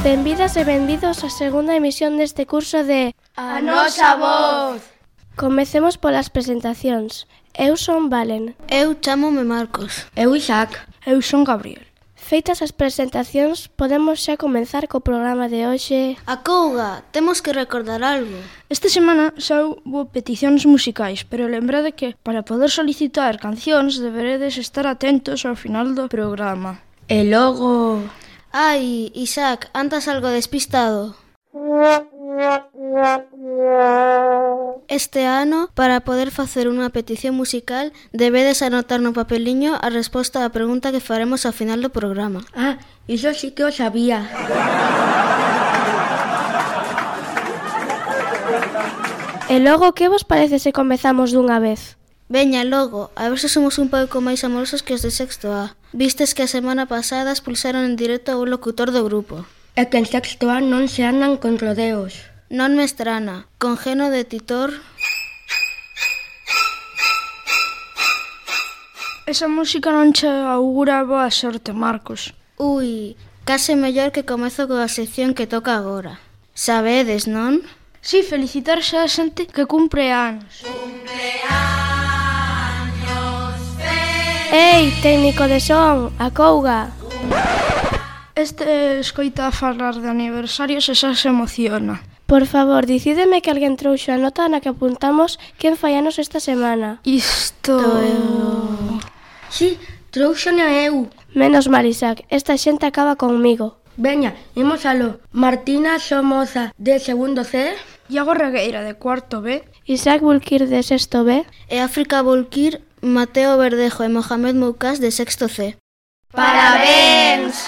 Benvidas e benvidos á segunda emisión deste curso de A Nosa Voz. Comecemos polas presentacións. Eu son Valen. Eu chámome Marcos. Eu Isaac. Eu son Gabriel. Feitas as presentacións, podemos xa comenzar co programa de hoxe. Acouga, temos que recordar algo. Esta semana xa houbo peticións musicais, pero lembrade que para poder solicitar cancións deberedes estar atentos ao final do programa. E logo... Ai, Isaac, andas algo despistado. Este ano, para poder facer unha petición musical, debedes anotar no papeliño a resposta á pregunta que faremos ao final do programa. Ah, iso sí que o sabía. E logo, que vos parece se comezamos dunha vez? Veña, logo, a ver se somos un pouco máis amorosos que os de sexto A. Vistes que a semana pasada expulsaron en directo a un locutor do grupo. É que en sexto A non se andan con rodeos. Non me estrana, con Geno de Titor... Esa música non che augura boa sorte, Marcos. Ui, case mellor que comezo coa sección que toca agora. Sabedes, non? Si, felicitar xa a xente que cumpre anos. Ei, técnico de son, acouga! Este escoita falar de aniversarios e xa se emociona. Por favor, dicídeme que alguén trouxo a nota na que apuntamos quen fai anos esta semana. Isto... Si, trouxone a eu. Menos mal, Isaac, esta xente acaba conmigo. Veña, imos aló. Martina Somoza, de segundo C. Iago Regueira, de cuarto B. Isaac Bulkir, de sexto B. E África Bulkir, Mateo Verdejo e Mohamed Moukas, de sexto C. ¡Parabéns!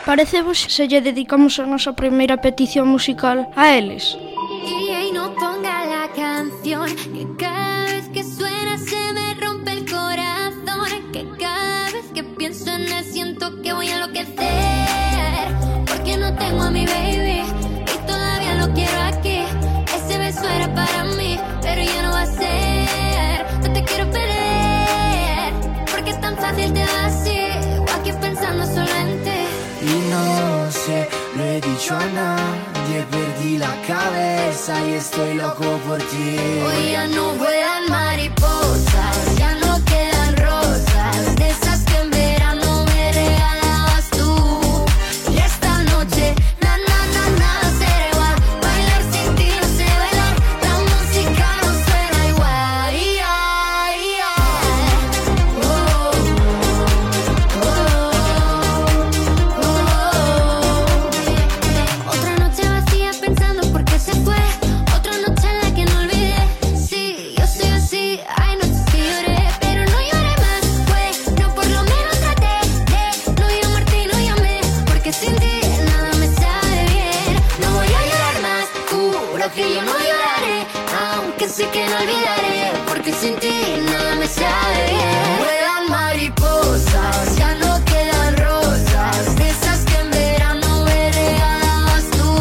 Parece vos se lle dedicamos a nosa primeira petición musical a eles? Y no ponga la canción, que cada vez que suena se me rompe el corazón, que cada vez que pienso en él siento que voy a enloquecer, porque no tengo a mi baby y todavía lo quiero aquí. Ese beso era para mí, pero ya no va a ser. No te quiero perder, porque es tan fácil te va así, o aquí pensando solo en ti. Y no sé, lo he dicho a nadie, perdí la cabeza y estoy loco por ti. Hoy ya no vuelan mariposas, ya no quedan rosas, de esas que en verano me regalabas tú. Y esta noche, nada será igual, bailar sin ti no sé bailar, la música no suena igual. Otra noche vacía pensando por qué se fue, otra noche en la que no olvidé. Sí, yo soy así, hay noches que lloré, pero no lloré más, no por lo menos traté de no llamarte y no llamé, porque sin ti nada me sabe bien. No voy a llorar más, juro que yo no lloraré, aunque sé que no olvidaré, porque sin ti nada me sabe bien. Vuelan mariposas, ya no quedan rosas, de esas que en verano me regalabas tú.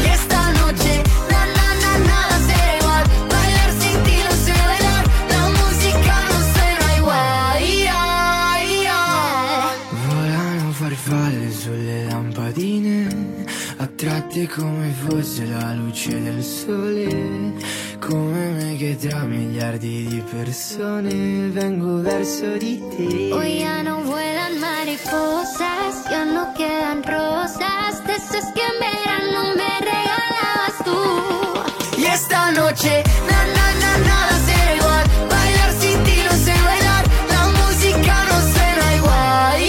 Y esta noche, nada será igual, bailar sin ti no sé bailar, la música no suena igual. Volano farfalle sulle lampadine, attratte come fosse la luce del sole, come me che tra miliardi di persone vengo verso di te. Hoy ya no vuelan mariposas, ya no quedan rosas, de esas que en verano me regalabas tú. Y esta noche, nada será igual, bailar sin ti no sé bailar, la música no suena igual.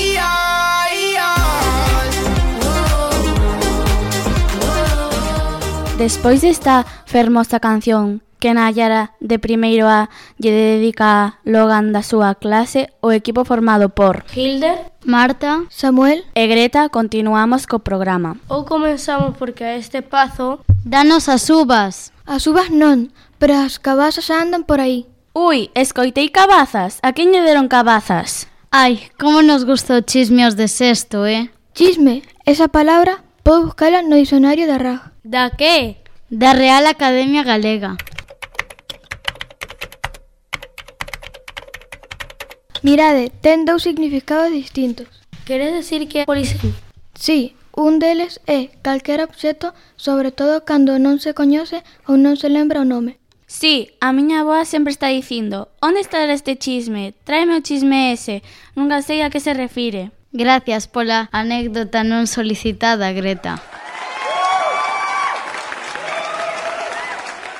Despois desta fermosa canción que Nayara de primeiro A lle dedica a Logan da súa clase, o equipo formado por Hilder, Marta, Samuel e Greta, continuamos co programa. ou comenzamos porque a este pazo... Danos as uvas. As uvas non, pero as cabazas andan por aí. Ui, escoitei cabazas. A quen lle deron cabazas? Ai, como nos gustou chisme os de sexto, Chisme, esa palabra pode buscala no dicionario da RAG. Da que? Da Real Academia Galega. Mirade, ten dous significados distintos. Quere decir que polixen? Sí, un deles é calquera obxecto, sobre todo cando non se coñece ou non se lembra o nome. Sí, a miña avoa sempre está dicindo: onde está este chisme? Tráeme o chisme ese. Nunca sei a que se refire. Gracias pola anécdota non solicitada, Greta.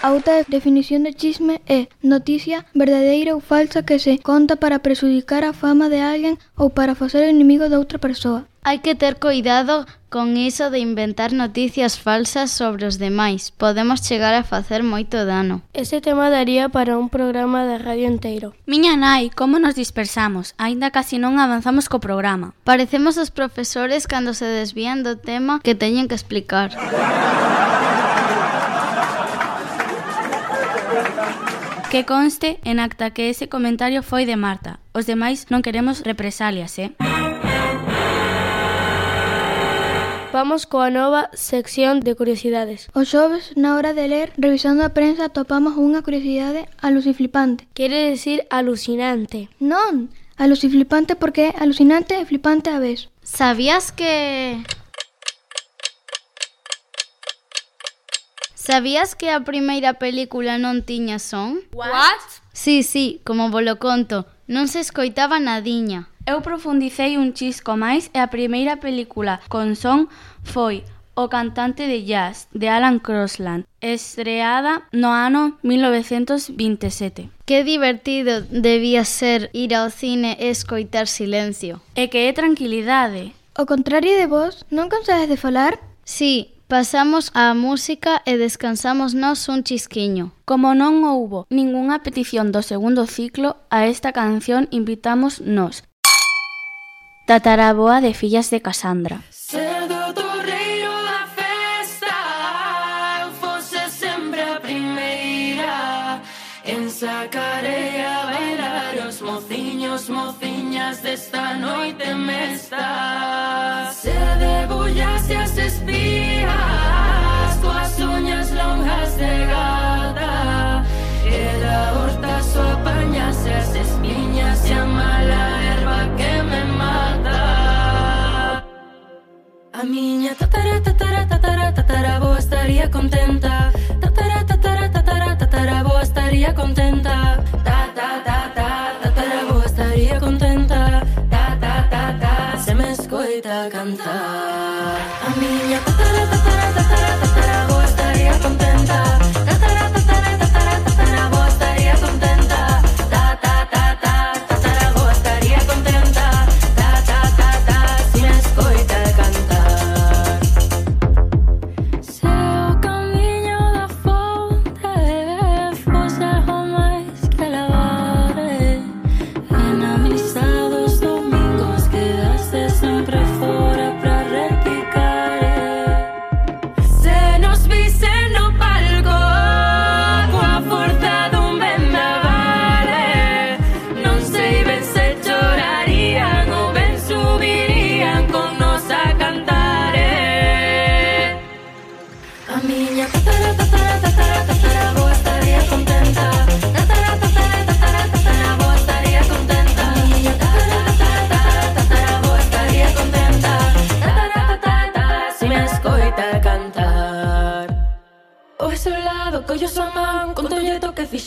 A outra definición de chisme é noticia verdadeira ou falsa que se conta para prexudicar a fama de alguén ou para facer inimigo de outra persoa. Hai que ter cuidado con iso de inventar noticias falsas sobre os demais. Podemos chegar a facer moito dano. Ese tema daría para un programa de radio inteiro. Miña nai, como nos dispersamos? Aínda casi non avanzamos co programa. Parecemos os profesores cando se desvían do tema que teñen que explicar. Que conste en acta que ese comentario foi de Marta. Os demais non queremos represalias, Vamos coa nova sección de curiosidades. Os xoves, na hora de ler, revisando a prensa, topamos unha curiosidade aluciflipante. Quere decir alucinante. Non, aluciflipante porque é alucinante e flipante á vez. Sabías que a primeira película non tiña son? What? Sí, como volo conto, non se escoitaba nadiña. Eu profundicei un chisco máis e a primeira película con son foi O cantante de jazz, de Alan Crosland, estreada no ano 1927. Que divertido debía ser ir ao cine e escoitar silencio. E que é tranquilidade. Ao contrario de vos, non cansades de falar? Sí, pasamos a música e descansamos nós un chisquiño. Como non houbo ningunha petición do segundo ciclo, a esta canción invitamos nós. Tataraboa de Fillas de Casandra. Ser do torreiro da festa, eu fose sempre a primeira en sacarei a bailar os mociños, mociñas desta noite mesta. Se debullase as espías, coas uñas longas de gata, e da horta so apañase as espiñas e a mala erva que me mata. A miña tataraboa estaría contenta. Tataraboa estaría contenta. Tataraboa estaría contenta. Se me escoita cantar. A miña tataraboa estaría contenta. Tataraboa estaría contenta. Tataraboa estaría contenta. Se me escoita cantar.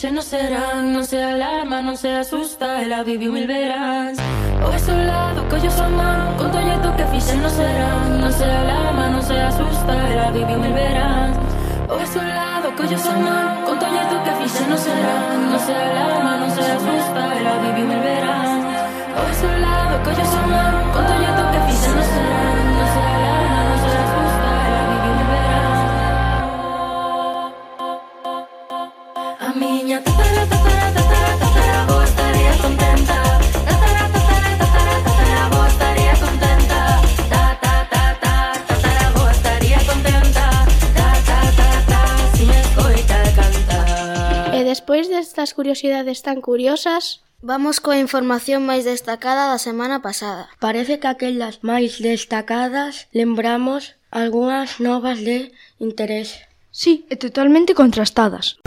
No serán, non se alarma, non se asusta, ela viviu mil veráns. O é solado, collo súa man, con tolleto que fixen non serán, non se alarma, non se asusta, ela viviu mil veráns. O é solado, collo súa man, con tolleto que fixen non serán, non se alarma, non se asusta, ela viviu mil veráns. O é solado, collo súa man, con tolleto que fixen non serán, non se alarma, non se asusta, ela viviu mil veráns. A miña tataraboa estaría contenta. Tataraboa estaría contenta. Tataraboa estaría contenta. Si me escoita cantar. E despois destas curiosidades tan curiosas, vamos coa información máis destacada da semana pasada. Parece que aquelas máis destacadas lembramos algunhas novas de interés. Sí, e totalmente contrastadas.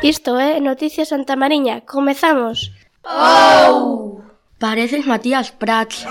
Isto é Noticias Santa Mariña. Comezamos! Oh! Pareces Matías Prats.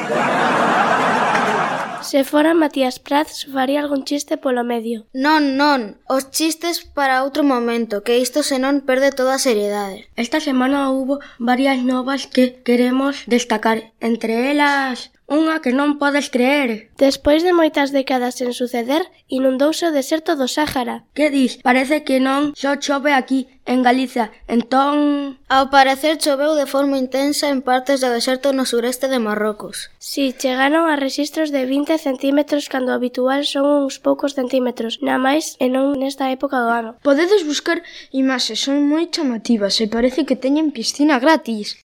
Se fora Matías Prats, faría algún chiste polo medio. Non, os chistes para outro momento, que isto senón perde toda a seriedade. Esta semana hubo varias novas que queremos destacar, entre elas unha que non podes creer. Despois de moitas décadas sen suceder, inundouse o deserto do Sáhara. Que dis? Parece que non só chove aquí, en Galicia. Entón... Ao parecer choveu de forma intensa en partes do deserto no sureste de Marrocos. Si, chegaron a rexistros de 20 centímetros cando o habitual son uns poucos centímetros, na máis e non nesta época do ano. Podedes buscar imaxes, son moi chamativas e parece que teñen piscina gratis.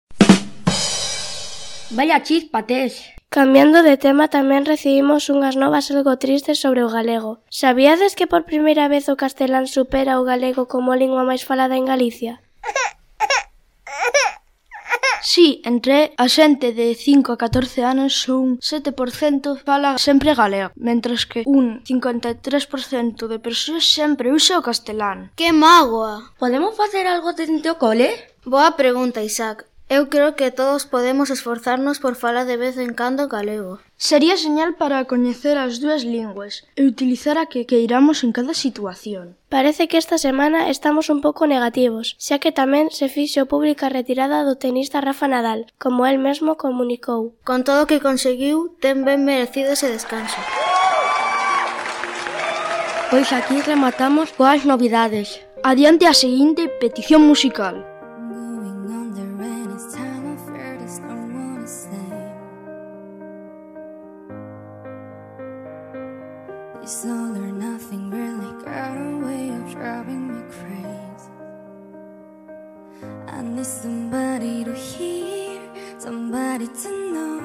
Vaya chispa tes. Cambiando de tema, tamén recibimos unhas novas algo tristes sobre o galego. Sabíades que por primeira vez o castelán supera o galego como lingua máis falada en Galicia? Sí, entre a xente de 5 a 14 anos un 7% fala sempre galego, mentres que un 53% de persoas sempre usa o castelán. Que mágoa! Podemos facer algo dentro o cole? Boa pregunta, Isaac. Eu creo que todos podemos esforzarnos por falar de vez en cando galego. Sería señal para coñecer as dúas linguas e utilizar a que queiramos en cada situación. Parece que esta semana estamos un pouco negativos, xa que tamén se fixo pública a retirada do tenista Rafa Nadal, como el mesmo comunicou. Con todo o que conseguiu, ten ben merecido ese descanso. Pois aquí rematamos coas novidades. Adiante a seguinte petición musical. It's all or nothing really got a way of driving me crazy. I need somebody to hear, somebody to know,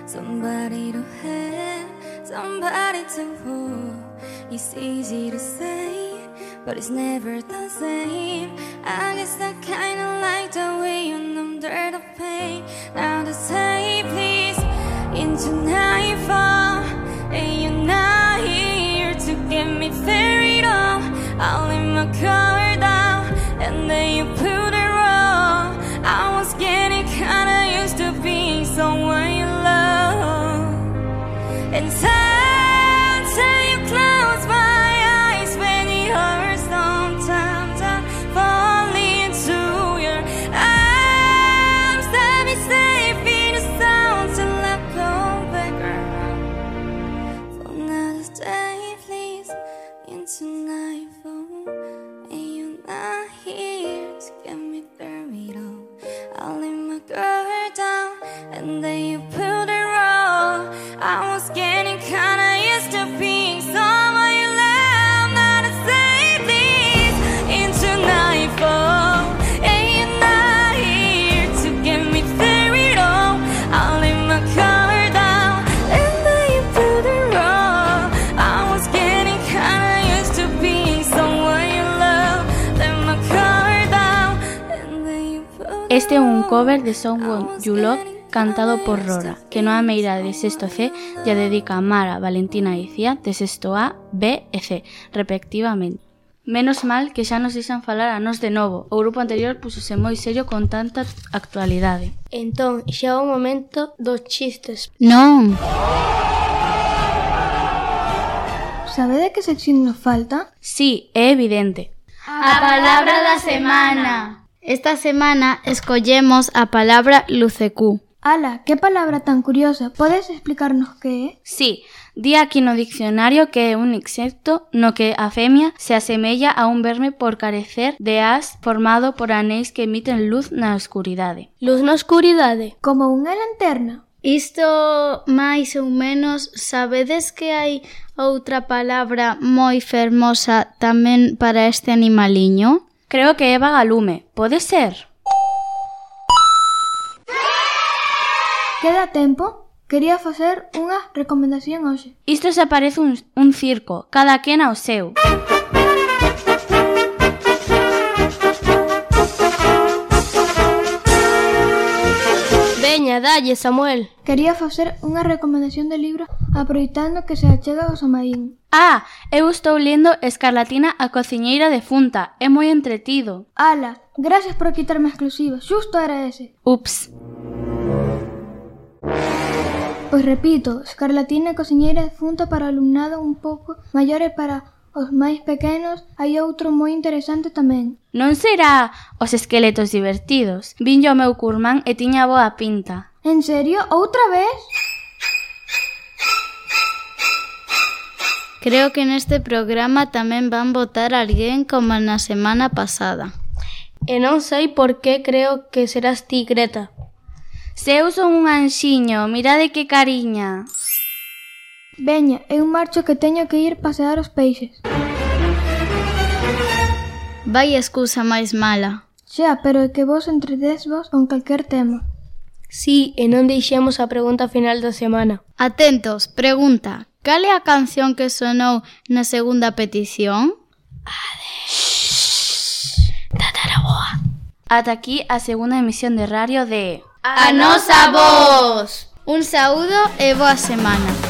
somebody to have, somebody to hold. It's easy to say, but it's never the same. I guess I kinda like the way you numb the pain. Now to say please into nightfall, and you're not here to get me ferried off. I'll lay my car down, and then you put it wrong. I was getting kinda used to being someone you love. And sometimes you close my eyes when it hurts. Sometimes I fall into your arms. Let me safe in the sound till I come back around. For another day, please, into nightfall, and you're not here to get me through it all. I'll lay my guard down, and then you pulled it wrong. I was getting kinda used to being someone you love. Not to say please into nightfall, and you're not here to get me through it all. I'll lay my car down, and then you pulled it wrong. I was getting kinda used to being someone you love. Let my car down, and then you pulled it. Este é un cover de Someone You Love cantado por Rora, que no a meira de sexto C ya dedica a Mara, Valentina e Icía de sexto A, B e C, respectivamente. Menos mal que xa nos deixan falar a nos de novo. O grupo anterior pusose moi serio con tanta actualidade. Entón, xa é o momento dos chistes. Non. Sabede que sección nos falta? Sí, é evidente. A palabra da semana. Esta semana escollemos a palabra lucecú. Ala, que palabra tan curiosa. Podes explicarnos que é? Sí, di aquí no diccionario que é un insecto no que a femia se asemella a un verme por carecer de as formado por anéis que emiten luz na escuridade. Luz na escuridade. Como unha lanterna. Isto máis ou menos, sabedes que hai outra palabra moi fermosa tamén para este animaliño? Creo que é vagalume. Pode ser? Queda tempo? Quería facer unha recomendación hoxe. Isto se parece un circo, cada quen ao seu. Veña, dalle, Samuel. Quería facer unha recomendación de libro aproveitando que se achega o Samaín. Ah, eu estou lendo Escarlatina a cociñeira defunta. É moi entretido. Ala, gracias por quitarme a exclusiva. Xusto era ese. Ups. Pois repito, Escarlatina e cociñeira defunta para o alumnado un pouco maior e para os máis pequenos hai outro moi interesante tamén. Non será Os esqueletos divertidos? Vinlle o meu curmán e tiña boa pinta. En serio? Outra vez? Creo que neste programa tamén van votar a alguén como na semana pasada. E non sei por que creo que serás ti, Greta. Se eu son un anxiño, mirade que cariña. Veña, eu marcho que teño que ir pasear os peixes. Vai excusa máis mala. Xa, pero é que vos entredesvos con calquer tema. Sí, e non deixemos a pregunta final da semana. Atentos, pregunta. Cal é a canción que sonou na segunda petición? Ata aquí a segunda emisión de radio de A nosa voz! Un saúdo e boa semana.